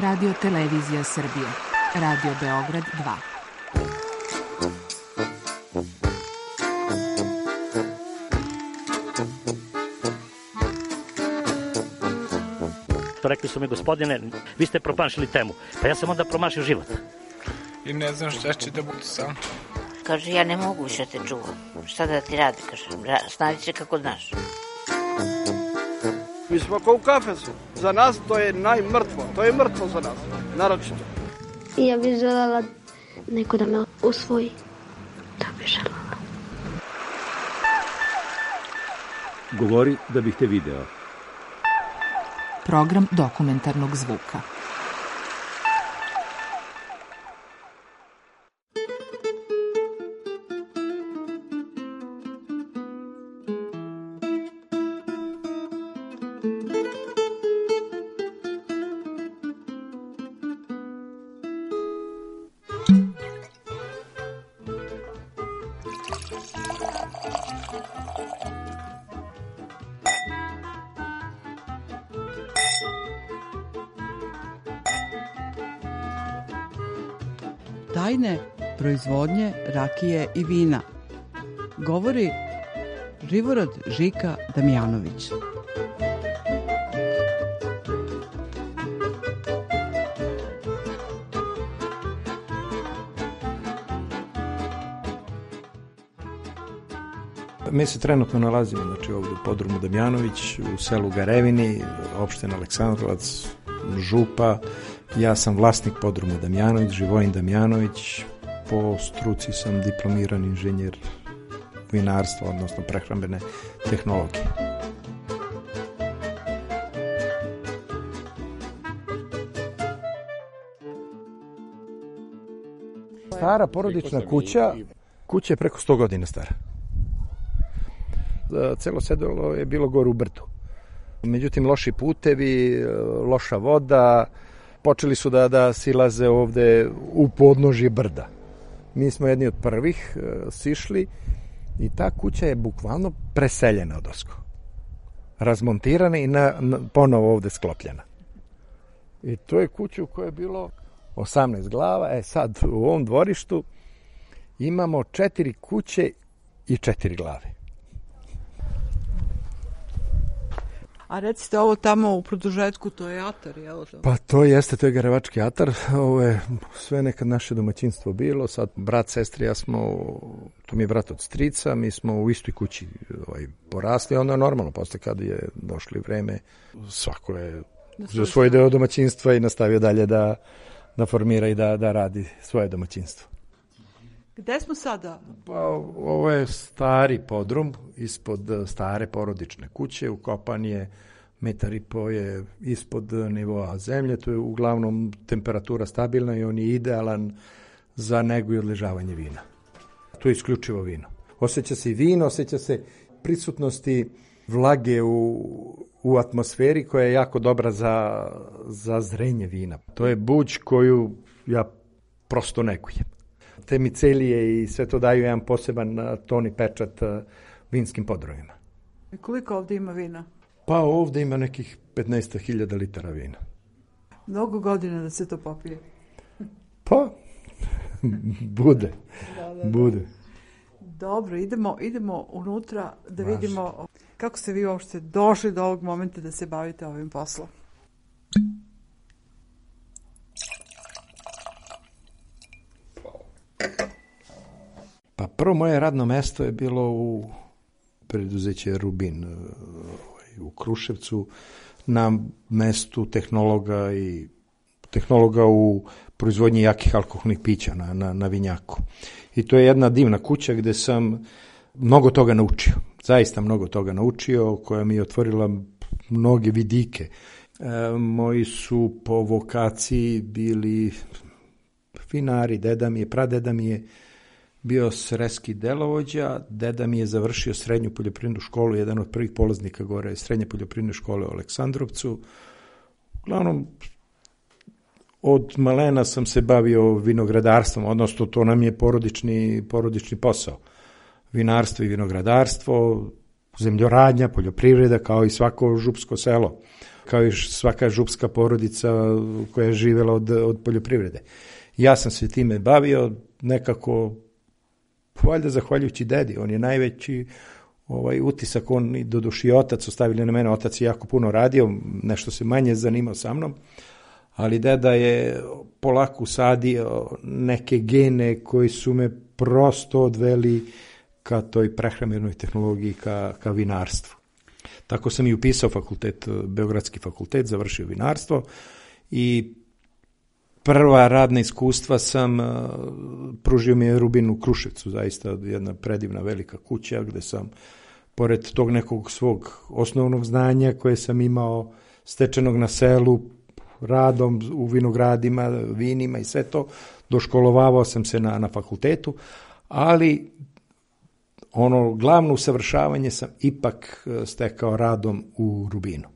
Radio Televizija Srbije. Radio Beograd 2. Rekli su mi, gospodine, vi ste promašili temu. Pa ja sam onda promašio život. I ne znam šta će da bude sam. Kaže, ja ne mogu više te čuvam. Šta da ti radi, kaže, snađi se kako znaš. Mi smo kao u kafesu. Za nas to je najmrtvo. To je mrtvo za nas, naročito. Ja bih želela neko da me usvoji. Da bih želela. Govori da bih te video. Program dokumentarnog zvuka. Tajne proizvodnje rakije i vina. Govori Živorad Žika Damjanović. Mi se trenutno nalazimo ovdje u podrumu Damjanović, u selu Garevini, opština Aleksandrovac, župa. Ja sam vlasnik podruma Damjanović, Živojin Damjanović. Po struci sam diplomirani inženjer vinarstva, odnosno prehrambene tehnologije. Stara porodična kuća je preko 100 godina stara. Celo sedelo je bilo gore u brdu. Međutim, loši putevi, loša voda, počeli su da silaze ovde u podnožje brda. Mi smo jedni od prvih sišli i ta kuća je bukvalno preseljena odozgo. Razmontirana i ponovo ovde sklopljena. I to je kuća u kojoj je bilo 18 glava. Sad u ovom dvorištu imamo 4 kuće i 4 glave. A recite, ovo tamo u produžetku, to je atar, jel? Pa to jeste, to je Garevački atar. Ovo je sve nekad naše domaćinstvo bilo. Sad brat, sestri, ja smo, to mi je brat od strica, mi smo u istoj kući porasli. Onda je normalno, posle kad je došli vreme, svako je za svoj deo domaćinstva i nastavio dalje da formira i da radi svoje domaćinstvo. Gde smo sada? Pa, ovo je stari podrum ispod stare porodične kuće, ukopan je 1,5 m je ispod nivoa zemlje, to je uglavnom temperatura stabilna i on je idealan za negu i odležavanje vina. To je isključivo vino. Osjeća se i vino, osjeća se prisutnosti vlage u atmosferi koja je jako dobra za zrenje vina. To je buđ koju ja prosto negujem. Te micelije i sve to daju jedan poseban ton i pečat vinskim podrumima. I koliko ovdje ima vina? Pa ovdje ima nekih 15.000 litara vina. Mnogo godina da se to popije? Pa, bude. Bude. Dobro, idemo unutra da vidimo kako ste vi uopšte došli do ovog momenta da se bavite ovim poslom. Pa prvo moje radno mesto je bilo u preduzeće Rubin u Kruševcu na mestu tehnologa u proizvodnji jakih alkoholnih pića na vinjaku. I to je jedna divna kuća gde sam mnogo toga naučio. Zaista mnogo toga naučio, koja mi je otvorila mnoge vidike. Moji su po vokaciji bili vinari, pradeda mi je bio sreski delovođa, deda mi je završio srednju poljoprivrednu školu, jedan od prvih polaznika gore srednje poljoprivredne škole u Aleksandrovcu. Uglavnom, od malena sam se bavio vinogradarstvom, odnosno to nam je porodični posao. Vinarstvo i vinogradarstvo, zemljoradnja, poljoprivreda, kao i svako župsko selo. kao i svaka župska porodica koja je živjela od poljoprivrede. Ja sam se time bavio nekako, valjda zahvaljujući dedi, on je najveći utisak, on i doduši otac ostavili na mene, otac je jako puno radio, nešto se manje zanimao sa mnom, ali deda je polako usadio neke gene koji su me prosto odveli ka toj prehrambenoj tehnologiji, ka vinarstvu. Tako sam i upisao fakultet, Beogradski fakultet, završio vinarstvo i prva radna iskustva sam, pružio mi je Rubin u Kruševcu, zaista jedna predivna velika kuća gde sam, pored tog nekog svog osnovnog znanja koje sam imao stečenog na selu, radom u vinogradima, vinima i sve to, doškolovavao sam se na fakultetu, ali ono glavno usavršavanje sam ipak stekao radom u Rubinu.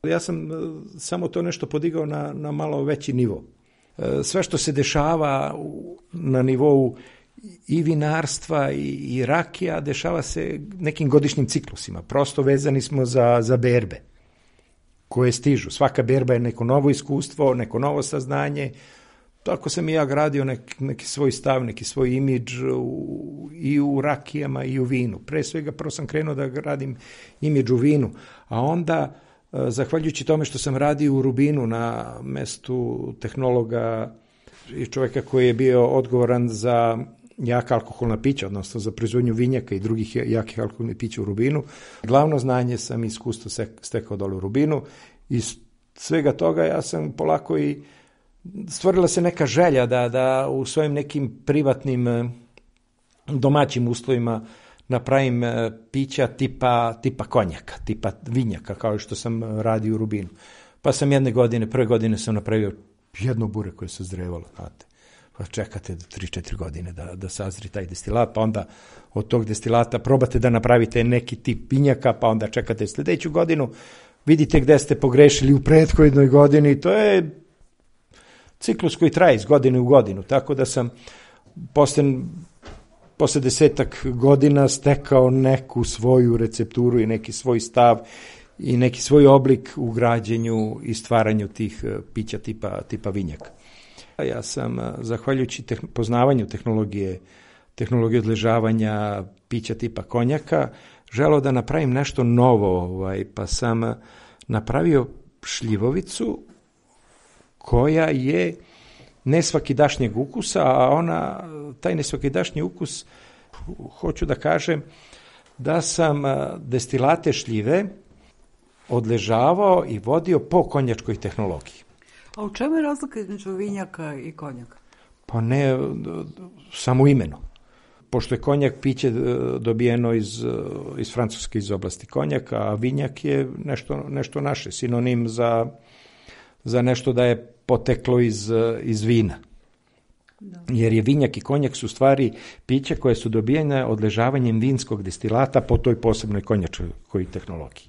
Ja sam samo to nešto podigao na malo veći nivo. Sve što se dešava na nivou i vinarstva i rakija, dešava se nekim godišnjim ciklusima. Prosto vezani smo za berbe koje stižu. Svaka berba je neko novo iskustvo, neko novo saznanje. Tako sam i ja gradio neki svoj stav, neki svoj imidž i u rakijama i u vinu. Pre svega prvo sam krenuo da gradim imidž u vinu, a onda zahvaljujući tome što sam radio u Rubinu na mestu tehnologa i čovjeka koji je bio odgovoran za jaka alkoholna pića, odnosno za proizvodnju vinjaka i drugih jakih alkoholnih pića u Rubinu. Glavno znanje sam iskustvo stekao dole u Rubinu i iz svega toga ja sam polako i stvorila se neka želja da u svojim nekim privatnim domaćim uslovima napravim pića tipa konjaka, tipa vinjaka, kao što sam radio u Rubinu. Pa sam prve godine sam napravio jedno bure koje se zrevalo, znate. Pa čekate 3-4 godine da sazri taj destilat, pa onda od tog destilata probate da napravite neki tip vinjaka, pa onda čekate sljedeću godinu, vidite gde ste pogrešili u prethodnoj godini, to je ciklus koji traje iz godine u godinu, tako da sam posle 10 godina stekao neku svoju recepturu i neki svoj stav i neki svoj oblik u građenju i stvaranju tih pića tipa vinjaka. Ja sam, zahvaljujući poznavanju tehnologije odležavanja pića tipa konjaka, želeo da napravim nešto novo, pa sam napravio šljivovicu koja je nesvakidašnjeg ukusa, a taj nesvakidašnji ukus, hoću da kažem, da sam destilate šljive odležavao i vodio po konjačkoj tehnologiji. A u čemu je razlika između vinjaka i konjaka? Pa ne, samo imeno. Pošto je konjak piće dobijeno iz Francuske, iz oblasti konjaka, a vinjak je nešto naše, sinonim za nešto da je poteklo iz vina. Da. Jer je vinjak i konjak su stvari piće koje su dobijene odležavanjem vinskog destilata po toj posebnoj konjačkoj tehnologiji.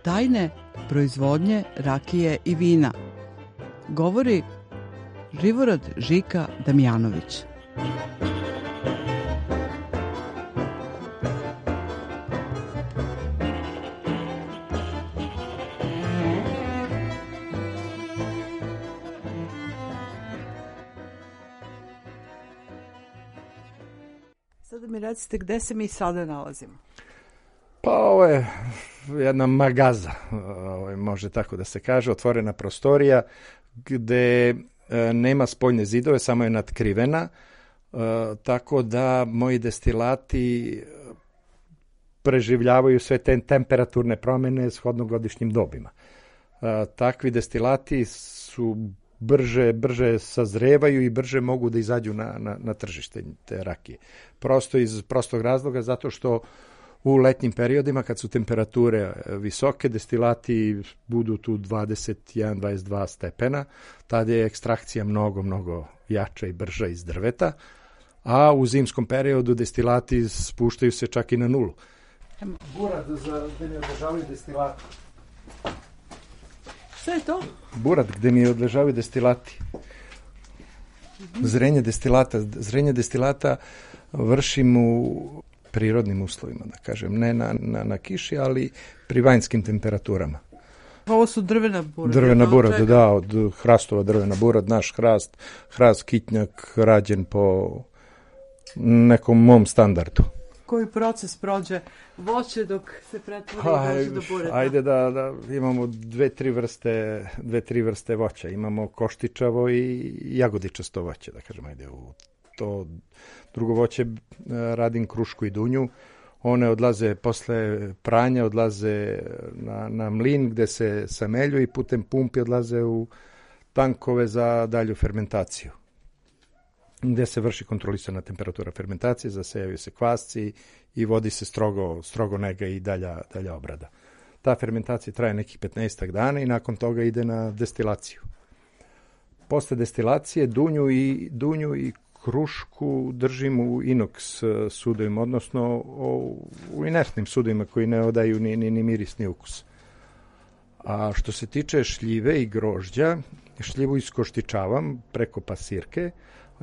Tajne proizvodnje rakije i vina govori Živorad Žika Damjanović. Sada mi recite gde se mi sada nalazimo. Pa ovo je jedna magaza, može tako da se kaže, otvorena prostorija gde nema spoljne zidove, samo je natkrivena, tako da moji destilati preživljavaju sve te temperaturne promjene shodno godišnjim dobima. Takvi destilati su brže sazrevaju i brže mogu da izađu na tržište te rakije. Prosto iz prostog razloga, zato što u letnjim periodima kad su temperature visoke, destilati budu tu 21-22 stepena, tada je ekstrakcija mnogo jača i brža iz drveta, a u zimskom periodu destilati spuštaju se čak i na nulu. Burad gde mi odležavaju destilati. Šta je to? Burad gde mi odležavaju destilati. Zrenje destilata vršim u prirodnim uslovima, da kažem, ne na kiši, ali pri vanjskim temperaturama. Ovo su drvena burad. Drvena burad, da, od hrastova drvena burad, naš hrast kitnjak rađen po nekom mom standardu. Koji proces prođe voće dok se pretvori i dođe do bureta? Ajde da imamo dve, tri vrste voća. Imamo koštičavo i jagodičasto voće, da kažem, ajde u to drugo voće radim krušku i dunju. One odlaze posle pranja, odlaze na mlin gde se samelju i putem pumpi odlaze u tankove za dalju fermentaciju, gde se vrši kontrolisana temperatura fermentacije, zasejavaju se kvasci i vodi se strogo nega i dalja obrada. Ta fermentacija traje nekih 15 dana i nakon toga ide na destilaciju. Posle destilacije dunju i krušku držim u inoks sudovima, odnosno u inertnim sudovima koji ne odaju ni miris ni ukus. A što se tiče šljive i grožđa, šljivu iskoštičavam preko pasirke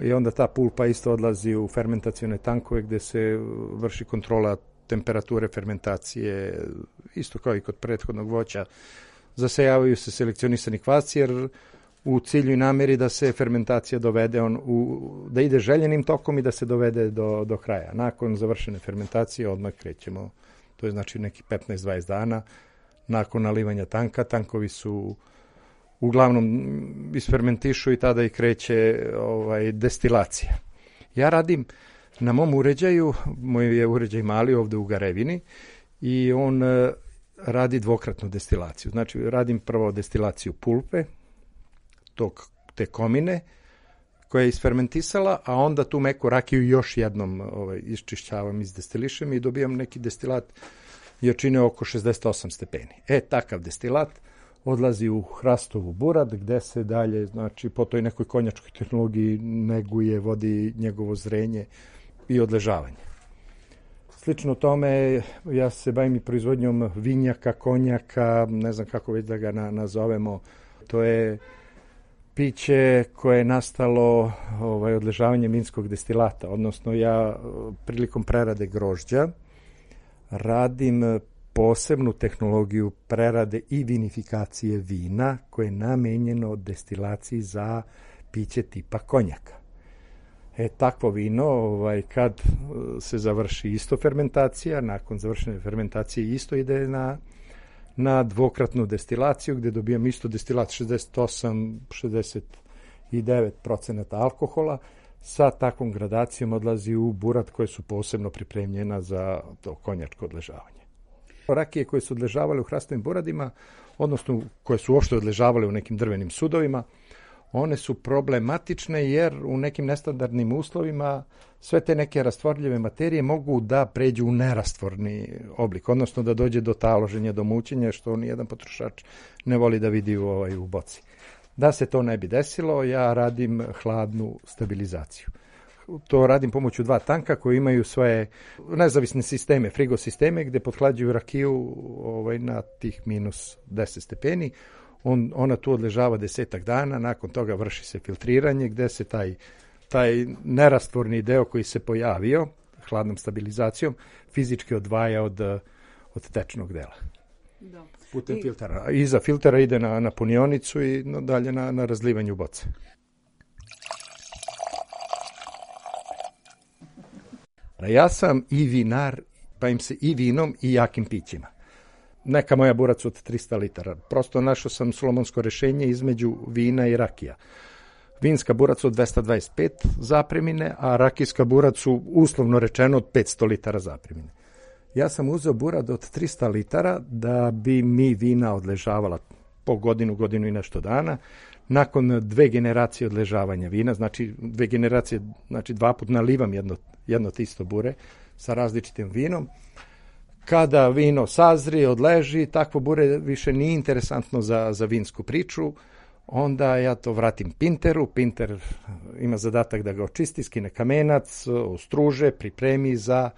i onda ta pulpa isto odlazi u fermentacione tankove gde se vrši kontrola temperature fermentacije, isto kao i kod prethodnog voća. Zasejavaju se selekcionisani kvasci jer u cilju i nameri da se fermentacija dovede da ide željenim tokom i da se dovede do kraja. Nakon završene fermentacije odmah krećemo, to je znači neki 15-20 dana nakon nalivanja tanka. Tankovi su uglavnom isfermentišu i tada i kreće destilacija. Ja radim na mom uređaju, moj je uređaj mali ovde u Garevini i on radi dvokratnu destilaciju. Znači radim prvo destilaciju pulpe, te komine koja je isfermentisala, a onda tu meku rakiju još jednom iščišćavam, izdestilišem i dobijam neki destilat jačine oko 68 stepeni. Takav destilat odlazi u hrastovu burad gde se dalje, znači po toj nekoj konjačkoj tehnologiji neguje, vodi njegovo zrenje i odležavanje. Slično tome, ja se bavim i proizvodnjom vinjaka, konjaka, ne znam kako već da ga nazovemo. To je piće koje je nastalo odležavanjem vinskog destilata, odnosno ja prilikom prerade grožđa radim posebnu tehnologiju prerade i vinifikacije vina koje je namenjeno destilaciji za piće tipa konjaka. Takvo vino, kad se završi isto fermentacija, nakon završene fermentacije isto ide na dvokratnu destilaciju gde dobijam isto destilat 68-69% alkohola. Sa takvom gradacijom odlazi u burad koje su posebno pripremljena za to konjačko odležavanje. Rakije koje su odležavale u hrastovim buradima, odnosno koje su uopšte odležavale u nekim drvenim sudovima, one su problematične jer u nekim nestandardnim uslovima sve te neke rastvorljive materije mogu da pređu u nerastvorni oblik, odnosno da dođe do taloženja, do mućenja, što nijedan potrošač ne voli da vidi u boci. Da se to ne bi desilo, ja radim hladnu stabilizaciju. To radim pomoću 2 tanka koji imaju svoje nezavisne sisteme, frigo sisteme, gde pothlađuju rakiju na tih minus 10 stepeni. Ona tu odležava 10 dana, nakon toga vrši se filtriranje gde se taj nerastvorni deo koji se pojavio hladnom stabilizacijom fizički odvaja od tečnog dela. Da. Putem filtera. Iza filtera ide na punionicu i dalje na razlivanju boce. Ja sam i vinar, bavim se i vinom i jakim pićima. Neka moja burac od 300 litara. Prosto našao sam solomonsko rešenje između vina i rakija. Vinska burac od 225 zapremine, a rakijska burac su uslovno rečeno od 500 litara zapremine. Ja sam uzeo burad od 300 litara da bi mi vina odležavala po godinu i nešto dana. Nakon 2 generacije odležavanja vina, znači 2 generacije, znači 2 put nalivam jedno te isto bure sa različitim vinom. Kada vino sazri, odleži, takvo bure više nije interesantno za vinsku priču, onda ja to vratim Pinteru, Pinter ima zadatak da ga očisti, skine kamenac, ostruže, pripremi za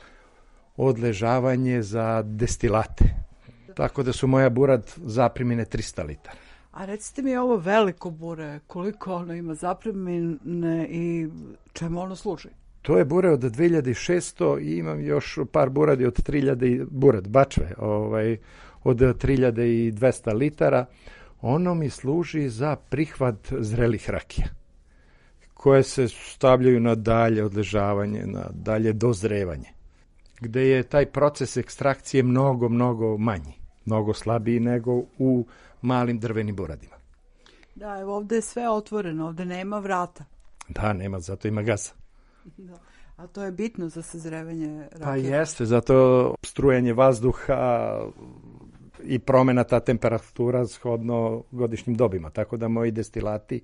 odležavanje za destilate. Tako da su moja burad zaprimine 300 litara. A recite mi ovo veliko bure, koliko ono ima zapremine i čemu ono služi? To je bure od 2600 i imam još par buradi od 3000, burad, bačve, od 3200 litara. Ono mi služi za prihvat zrelih rakija, koje se stavljaju na dalje odležavanje, na dalje dozrevanje, gde je taj proces ekstrakcije mnogo, mnogo manji, mnogo slabiji nego u malim drvenim buradima. Da, evo ovde je sve otvoreno, ovde nema vrata. Da, nema, zato ima gaza. Da. A to je bitno za sazrevanje rakije? Pa jeste, zato strujanje vazduha i promena ta temperatura shodno godišnjim dobima, tako da moji destilati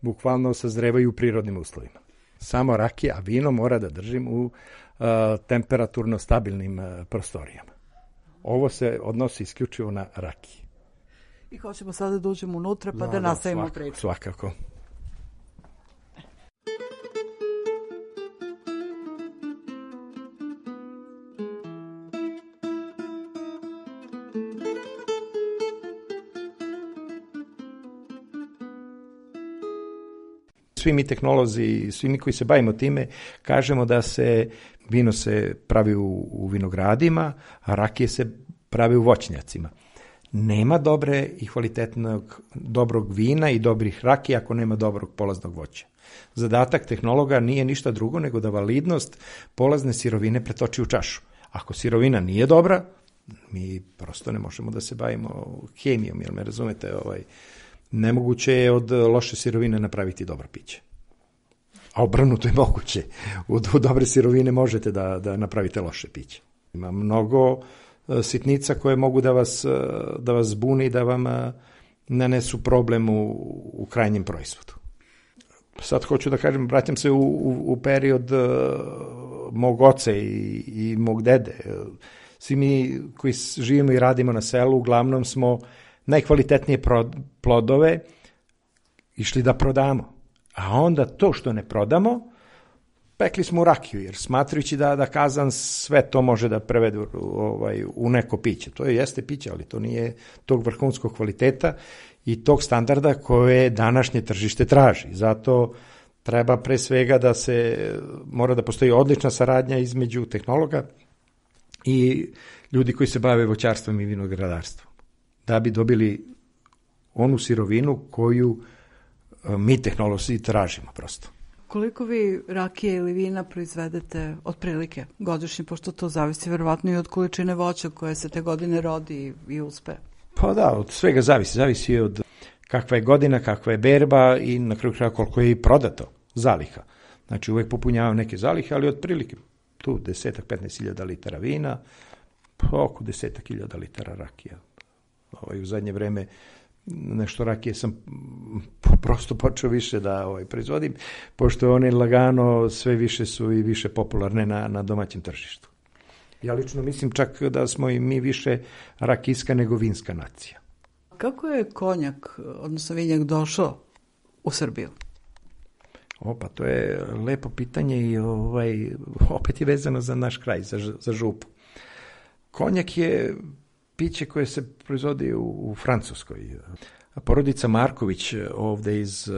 bukvalno sazrevaju u prirodnim uslovima. Samo rakija, a vino mora da držim u temperaturno stabilnim prostorijama. Ovo se odnosi isključivo na rakije. I hoćemo sada da uđemo unutra pa da nastavimo priču. Svakako. Svi mi tehnolozi, svi mi koji se bavimo time, kažemo da se vino se pravi u vinogradima, a rakije se pravi u voćnjacima. Nema dobre i kvalitetnog dobrog vina i dobrih rakija ako nema dobrog polaznog voća. Zadatak tehnologa nije ništa drugo nego da validnost polazne sirovine pretoči u čašu. Ako sirovina nije dobra, mi prosto ne možemo da se bavimo hemijom, jel me razumete? Nemoguće je od loše sirovine napraviti dobro piće. A obrnuto je moguće. U dobre sirovine možete da napravite loše piće. Ima mnogo sitnica koje mogu da vas zbune i da vam nanesu problem u krajnjem proizvodu. Sad hoću da kažem, vraćam se u period mog oca i mog dede. Svi mi koji živimo i radimo na selu, uglavnom smo najkvalitetnije plodove išli da prodamo. A onda to što ne prodamo, pekli smo u rakiju, jer smatrajući da kazan sve to može da prevede u neko piće. To jeste piće, ali to nije tog vrhunskog kvaliteta i tog standarda koje današnje tržište traži. Zato treba pre svega mora da postoji odlična saradnja između tehnologa i ljudi koji se bave voćarstvom i vinogradarstvom, da bi dobili onu sirovinu koju mi tehnolozi tražimo prosto. Koliko vi rakije ili vina proizvedete otprilike godišnje, pošto to zavisi verovatno i od količine voća koje se te godine rodi i uspe? Pa da, od svega zavisi od kakva je godina, kakva je berba i na kraju kraja koliko je i prodato zaliha. Znači uvek popunjavam neke zalihe, ali otprilike tu 10-15 litara vina, oko 10.000 litara rakija. U zadnje vreme nešto rakije sam prosto počeo više da proizvodim, pošto one lagano sve više su i više popularne na domaćem tržištu. Ja lično mislim čak da smo i mi više rakijska nego vinska nacija. Kako je konjak, odnosno vinjak, došao u Srbiju? Pa to je lepo pitanje i opet je vezano za naš kraj, za župu. Konjak je piće koje se proizvodi u Francuskoj. Porodica Marković ovde iz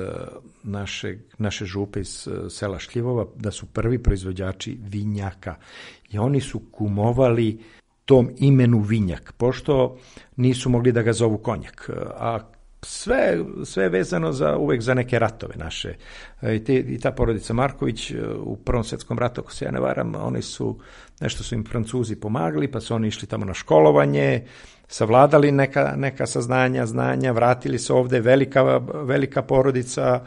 naše župe, iz sela Šljivova, da su prvi proizvođači vinjaka. I oni su kumovali tom imenu vinjak, pošto nisu mogli da ga zovu konjak. A sve je vezano uvek za neke ratove naše. I ta porodica Marković u Prvom svetskom ratu, ako se ja ne varam, nešto su im Francuzi pomagali, pa su oni išli tamo na školovanje, savladali neka znanja, vratili se ovde, velika porodica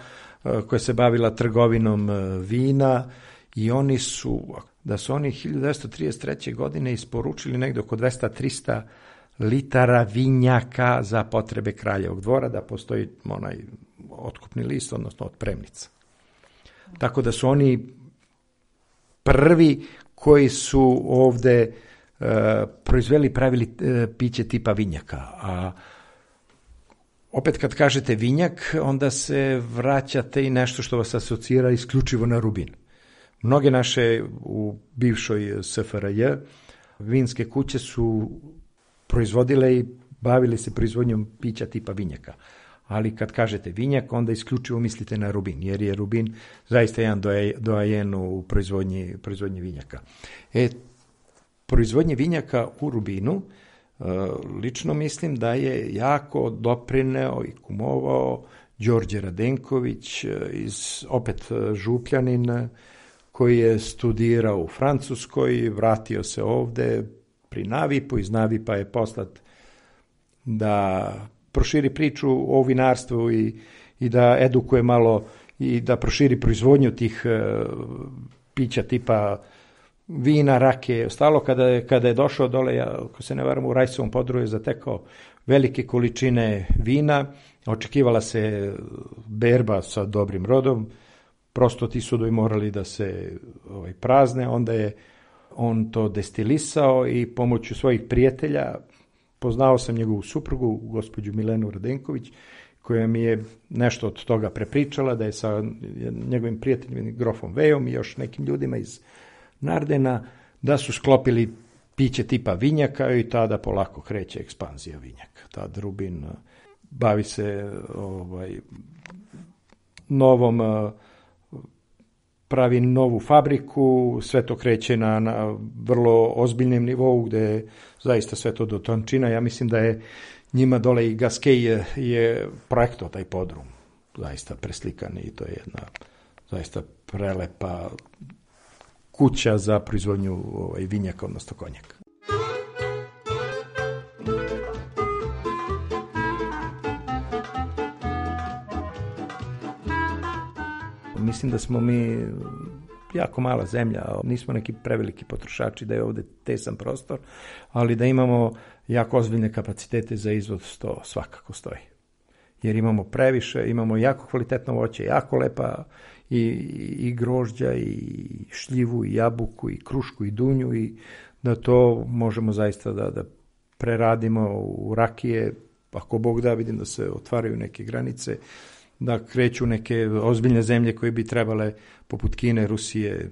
koja se bavila trgovinom vina i oni su 1933. godine isporučili negde oko 200-300 litara vinjaka za potrebe kraljevog dvora, da postoji onaj otkupni list, odnosno otpremnica. Tako da su oni prvi koji su ovde proizveli, pravili piće tipa vinjaka. A opet kad kažete vinjak, onda se vraćate i nešto što vas asocira isključivo na Rubin. Mnoge naše u bivšoj SFRJ vinske kuće su proizvodile i bavili se proizvodnjom pića tipa vinjaka. Ali kad kažete vinjak, onda isključivo mislite na Rubin, jer je Rubin zaista jedan doajen u proizvodnji vinjaka. Proizvodnje vinjaka u Rubinu, lično mislim da je jako doprineo i kumovao Đorđe Radenković, opet Župljanin, koji je studirao u Francuskoj, vratio se ovde pri Navipu, iz Navipa je poslat da proširi priču o vinarstvu i da edukuje malo i da proširi proizvodnju tih pića tipa vina, rakije. Ostalo kada je došao dole, ako se ne varam, u Rajsovom Podruju je zatekao velike količine vina, očekivala se berba sa dobrim rodom, prosto ti sudovi morali da se prazne, onda je on to destilisao i pomoću svojih prijatelja, poznao sam njegovu suprugu, gospođu Milenu Radenković, koja mi je nešto od toga prepričala, da je sa njegovim prijateljima grofom Vejom i još nekim ljudima iz Nardena, da su sklopili piće tipa vinjaka i tada polako kreće ekspanzija vinjaka. Tad Rubin bavi se pravi novu fabriku, sve to kreće na vrlo ozbiljnem nivou, gde je zaista sve to do tončina. Ja mislim da je njima dole i Gaskej je projektao taj podrum, zaista preslikan, i to je jedna zaista prelepa kuća za proizvodnju vinjaka, odnosno konjaka. Mislim da smo mi jako mala zemlja, nismo neki preveliki potrošači, da je ovde tesan prostor, ali da imamo jako ozbiljne kapacitete za izvoz, to svakako stoji. Jer imamo previše, imamo jako kvalitetno voće, jako lepa i grožđa, i šljivu, i jabuku, i krušku, i dunju, i da to možemo zaista da preradimo u rakije. Ako Bog da, vidim da se otvaraju neke granice, da kreću neke ozbiljne zemlje koje bi trebale, poput Kine, Rusije,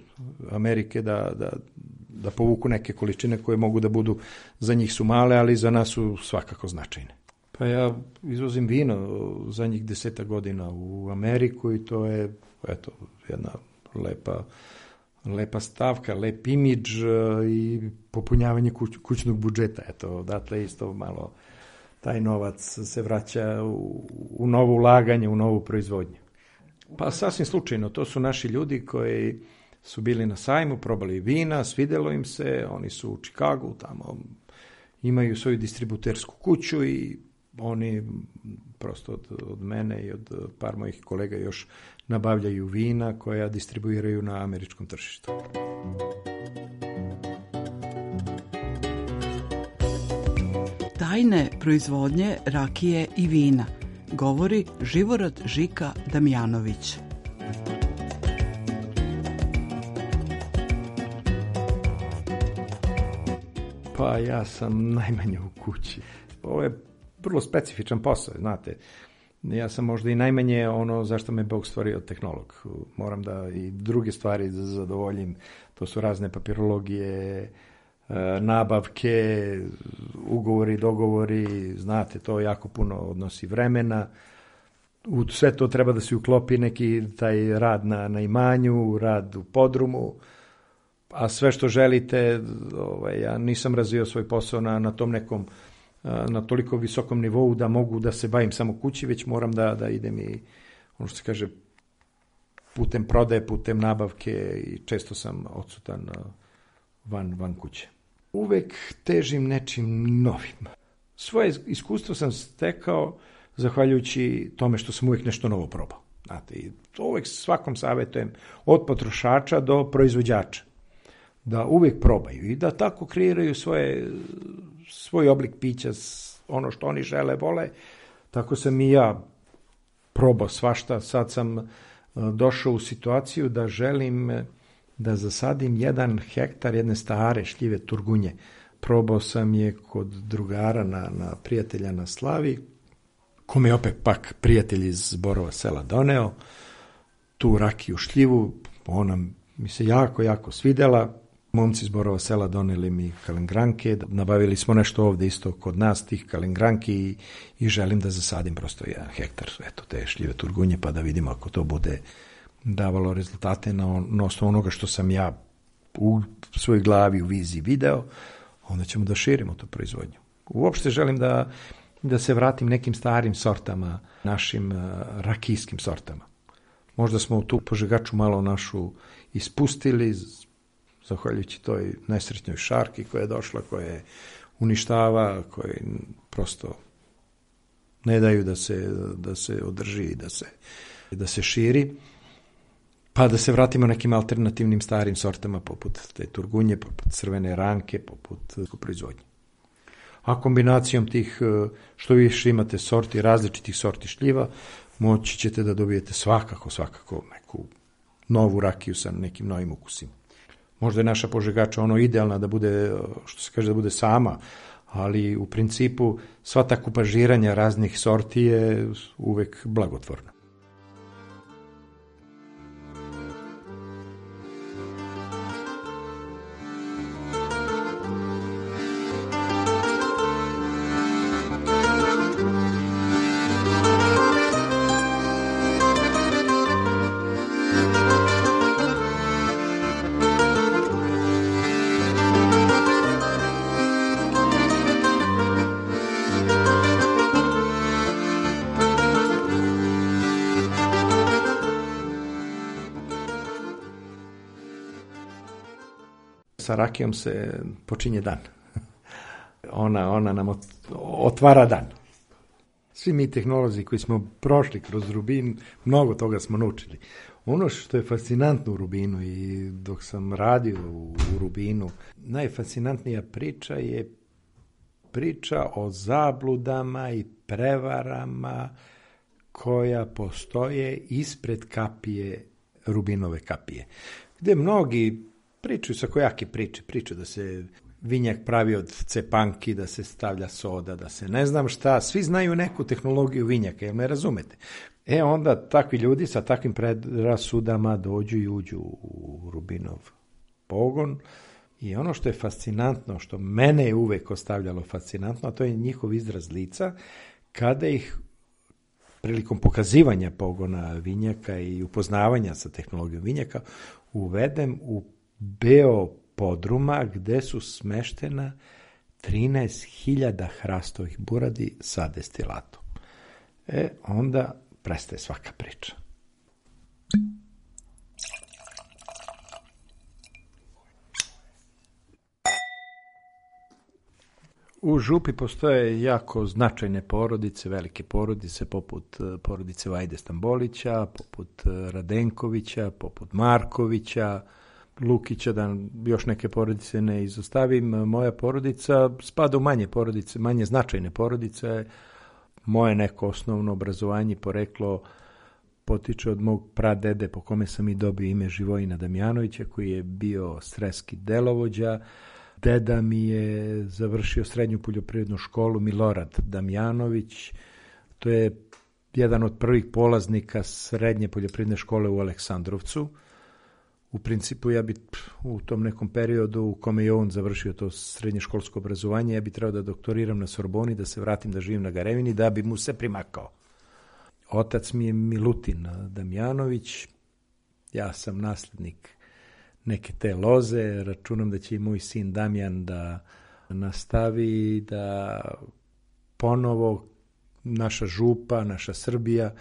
Amerike, da povuku neke količine koje mogu da budu, za njih su male, ali za nas su svakako značajne. Pa ja izvozim vino za njih 10 godina u Ameriku i to je, eto, jedna lepa stavka, lep imidž i popunjavanje kućnog budžeta. Eto, odatle isto malo taj novac se vraća u novo ulaganje, u novu proizvodnju. Pa sasvim slučajno, to su naši ljudi koji su bili na sajmu, probali vina, svidelo im se, oni su u Čikagu, tamo imaju svoju distributersku kuću i oni prosto od mene i od par mojih kolega još nabavljaju vina koja distribuiraju na američkom tržištu. Tajne proizvodnje rakije i vina, govori Živorad Žika Damjanović. Pa ja sam najmanje u kući. Ovo je vrlo specifičan posao, znate. Ja sam možda i najmanje ono zašto me Bog stvorio tehnolog. Moram da i druge stvari zadovoljim. To su razne papirologije, nabavke, ugovori, dogovori, znate, to jako puno odnosi vremena. U sve to treba da se uklopi neki taj rad na imanju, rad u podrumu, a sve što želite, ja nisam razvio svoj posao na tom nekom, na toliko visokom nivou da mogu da se bavim samo kući, već moram da idem i, ono što se kaže, putem prodaje, putem nabavke i često sam odsutan van kuće. Uvek težim nečim novim. Svoje iskustvo sam stekao zahvaljujući tome što sam uvek nešto novo probao. Znate, i to uvek svakom savjetujem, od potrošača do proizvođača, da uvek probaju i da tako kreiraju svoj oblik pića, ono što oni žele, vole. Tako sam i ja probao svašta. Sad sam došao u situaciju da želim da zasadim 1 hektar jedne stare šljive turgunje. Probao sam je kod drugara na prijatelja na Slavi kome je opet pak prijatelj iz Borova Sela doneo, tu rakiju šljivu, ona mi se jako, jako svidela. Momci iz Borova Sela doneli mi kalengranke, nabavili smo nešto ovde isto kod nas, tih kalengranki i želim da zasadim prosto 1 hektar, eto, te šljive turgunje, pa da vidimo ako to bude davalo rezultate na osnovu onoga što sam ja u svojoj glavi, u viziji video, onda ćemo da širimo tu proizvodnju. Uopšte želim da se vratim nekim starim sortama, našim rakijskim sortama. Možda smo u tu požegaču malo našu ispustili, zahvaljujući toj nesretnoj šarki koja je došla, koja je uništava, koje prosto ne daju da se održi i da se širi, pa da se vratimo nekim alternativnim starim sortama poput te turgunje, poput crvene ranke, poput proizvodnje. A kombinacijom tih, što više imate sorti, različitih sorti šljiva, moći ćete da dobijete svakako neku novu rakiju sa nekim novim ukusima. Možda je naša požegača idealna da bude, što se kaže, da bude sama, ali u principu sva ta kupažiranja raznih sorti je uvek blagotvorna. Sa rakijom se počinje dan. Ona nam otvara dan. Svi mi tehnolozi koji smo prošli kroz Rubin, mnogo toga smo naučili. Ono što je fascinantno u Rubinu i dok sam radio u Rubinu, najfascinantnija priča je priča o zabludama i prevarama koja postoje ispred kapije, Rubinove kapije. Gde mnogi pričaju sa kojake priče da se vinjak pravi od cepanki, da se stavlja soda, da se ne znam šta, svi znaju neku tehnologiju vinjaka, jel me razumete? Onda takvi ljudi sa takvim predrasudama dođu i uđu u Rubinov pogon i ono što je fascinantno, što mene je uvek ostavljalo fascinantno, a to je njihov izraz lica, kada ih prilikom pokazivanja pogona vinjaka i upoznavanja sa tehnologijom vinjaka uvedem u beo podruma gde su smeštena 13.000 hrastovih buradi sa destilatom. Onda prestaje svaka priča. U Župi postoje jako značajne porodice, velike porodice, poput porodice Vajde Stambolića, poput Radenkovića, poput Markovića, Lukića, da još neke porodice ne izostavim. Moja porodica spada u manje porodice, manje značajne porodice. Moje neko osnovno obrazovanje, poreklo, potiče od mog pradede po kome sam i dobio ime Živojina Damjanovića, koji je bio sreski delovođa. Deda mi je završio srednju poljoprivrednu školu Milorad Damjanović. To je jedan od prvih polaznika srednje poljoprivredne škole u Aleksandrovcu. U principu ja bi u tom nekom periodu u kome je on završio to srednje školsko obrazovanje, ja bi trebao da doktoriram na Sorboni, da se vratim da živim na Garevini, da bi mu se primakao. Otac mi je Milutin Damjanović, ja sam naslednik neke te loze, računam da će i moj sin Damjan da nastavi, da ponovo naša Župa, naša Srbija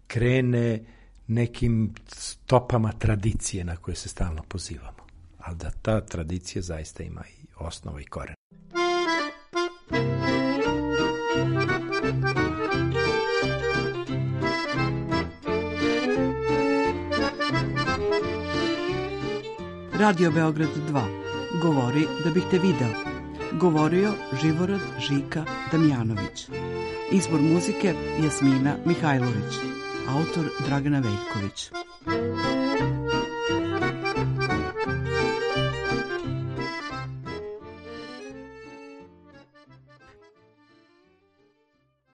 krene nekim stopama tradicije na koje se stalno pozivamo. Ali da ta tradicija zaista ima i osnovu i koren. Radio Beograd 2. Govori da bih te video. Govorio Živorad Žika Damjanović. Izbor muzike Jasmina Mihajlović. Autor Dragana Veljković.